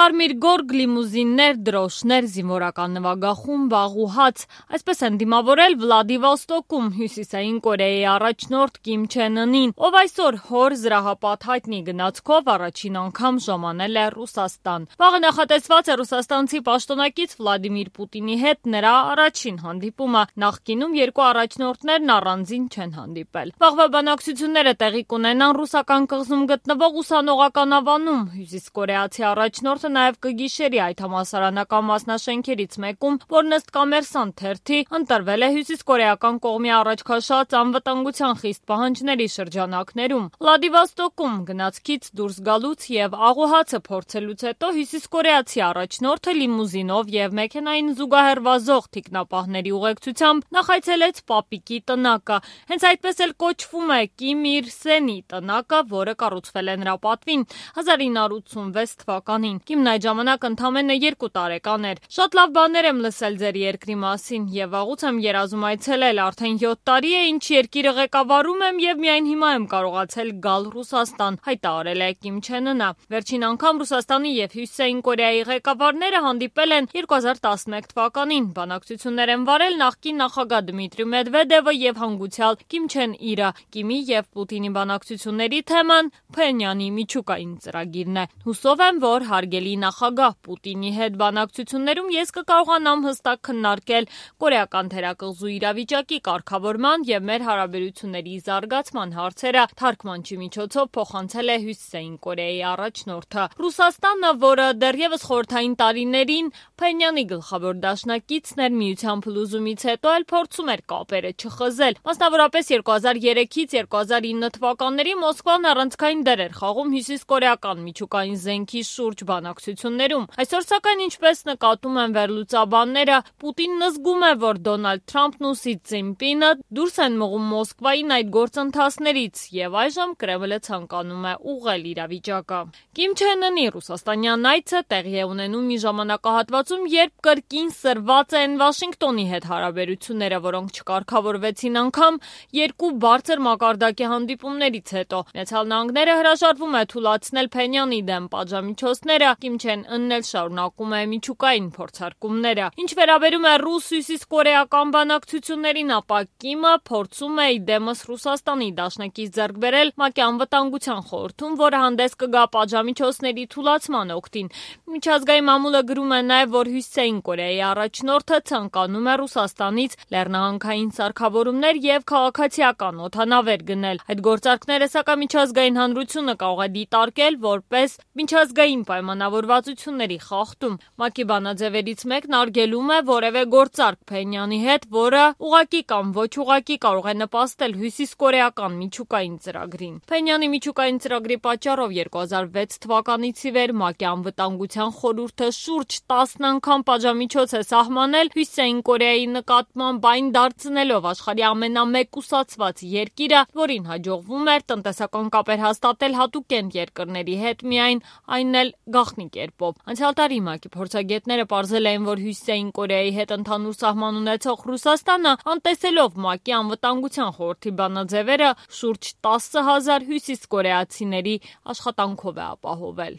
Կարմիր գորգ, լիմուզիններ, դրոշներ, զինվորական նվագախումբ, աղուհաց, այսպես են դիմավորել Վլադիվոստոկում Հյուսիսային Կորեայի առաջնորդ Կիմ Չեն Ընին, ով այսօր հոր զրահապատ հայտնի գնացքով առաջին անգամ ժամանել է Ռուսաստան։ Վաղը նախատեսված է ռուսաստանցի պաշտոնակից Վլադիմիր Պուտինի հետ նրա առաջին հանդիպումը, նախկինում երկու առաջնորդներն առանձին չեն հանդիպել։ Վաղվա բանակցությունները տեղի կունենան ռուսական կղզում գտնվող ուսանողական ավանում, հյուսիսկորեացի առաջնորդը նաև կգիշերի այդ համալսարանական մասնաշենքերից մեկում, որն ըստ Կոմերսանտ թերթի ընտրվել է հյուսիսկորեական կողմի առաջ քաշած անվտանգության խիստ պահանջների շրջանակներում։ Վլադիվոստոկում գնացքից դուրս գալուց եւ աղուհացը փորձելուց հետո հյուսիսկորեացի առաջնորդը լիմուզինով եւ մեքենային զուգահեռ վազող թիկնապահների ուղեկցությամբ նախայցելեց Պապիկի տնակը։ Հենց այդպես էլ կոչվում է Կիմ իր Սենի տնակը, որը կառուցվել է նրա պատվին 1986 թվականին։ Կիմն այդ ժամանակ ընդամենը 2 տարեկան էր։ Շատ լավ բաներ եմ լսել ձեր երկրի մասին եւ վաղուց եմ երազում այցելել, արդեն 7 տարի է ինչ երկիրը ղեկավարում եմ եւ միայն հիմա եմ կարողացել գալ Ռուսաստան, հայտարարել է Կիմ Չեն Ընը։ Վերջին անգամ Ռուսաստանի եւ Հյուսիսային Կորեայի ղեկավարները հանդիպել են 2011 թվականին։ Բանակցություններ են վարել նախկին նախագահ Դմիտրի Մեդվեդևը եւ հանգուցյալ Կիմ Չեն Իրը։ Կիմի եւ Պուտինի բանակցությունների թեման Փենյանի միջուկային ծրագիրն է։ Հուսով եմ, որ հարգելի նախագահ Պուտինի հետ բանակցություններում ես կկարողանամ հստակ քննարկել կորեական թերակղզու իրավիճակի կարգավորման եւ մեր հարաբերությունների զարգացման հարցերը, թարգմանչի միջոցով փոխանցել է Հյուսիսային Կորեայի առաջնորդը։ Ռուսաստանը, որը դեռևս խորհրդային տարիներին Փենյանի գլխավոր դաշնակիցն էր, միության փլուզումից հետո էլ փորձում էր կապերը չխզել։ Մասնավորապես 2003-ից 2009 թվականների Մոսկվան առանցքային դեր էր խաղում հյուսիսկորեական միջուկային զենքի շուրջ բանակցություններում։ Այսօր սակայն ինչպես նկատում են վերլուծաբանները, Պուտինն զգում է, որ Դոնալդ Թրամփն ու Սի Ցզինպինը դուրս են մղում Մոսկվային այդ գործընթացներից եւ այժմ Կրեմլը ցանկանում է ուղղել իրավիճակը։ Կիմ Չեն Ընի ռուսաստանյան այցը տեղի է ունենում մի ժամանակահատվածում, երբ կրկին սրված են Վաշինգտոնի հետ հարաբերությունները, որոնք չկարգավորվեցին անգամ երկու բարձր մակարդակի հանդիպումներից հետո։ Միացյալ Նահանգները հրաժարվում է թույլատրել Փենյանի դեմ պատժամիջոցները, Կիմ Չեն Ընն էլ շարունակում է միջուկային փորձարկումները։ Ինչ վերաբերում է ռուս-հյուսիսկորեական բանակցություններին, ապա Կիմը փորձում է իդեմս Ռուսաստանի դաշնակից ձեռք բերել ՄԱԿ-ի անվտանգության խորհրդում, որը հանդես կգա պատժամիջոցների թույլատման օգտին։ Միջազգային մամուլը գրում է նաև, որ Հյուսիսային Կորեայի առաջնորդը ցանկանում է Ռուսաստանից լեռնահանքային սարքավորումներ եւ քաղաքացիական օդանավեր գնել։ Այդ գործարքները սակայն միջազգային հանրությունը կարող է դիտարկել որպես միջազգային պայմանավորվածությունների խախտում։ ՄԱԿ-ի բանաձևերից մեկն արգելում է որևէ գործարք Փենյանի հետ, որը ուղղակի կամ ոչ ուղղակի կարող է նպաստել հյուսիսկորեական միջուկային ծրագրին։ Փենյանի միջուկային ծրագրի պատճառով 2006 թվականից ի վեր ՄԱԿ-ի անվտանգության խորհուրդը շուրջ 10 անգամ պատժամիջոց է սահմանել Հյուսիսային Կորեայի նկատմամբ, այն դարձնելով աշխարհի ամենամեկուսացված երկիրը, որին հաջողվում էր տնտեսական կապեր հաստատել հատուկենտ երկրների հետ միայն, այն էլ գաղտնի կերպով։ Անցյալ տարի ՄԱԿ-ի փորձագետները պարզել էին, որ Հյուսիսային Կորեայի հետ ընդհանուր սահման ունեցող Ռուսաստանը, անտեսելով ՄԱԿ-ի անվտանգության խորհրդի բանաձևերը, շուրջ 10,000 հյուսիսկորեացիների աշխատանքով է ապահովել։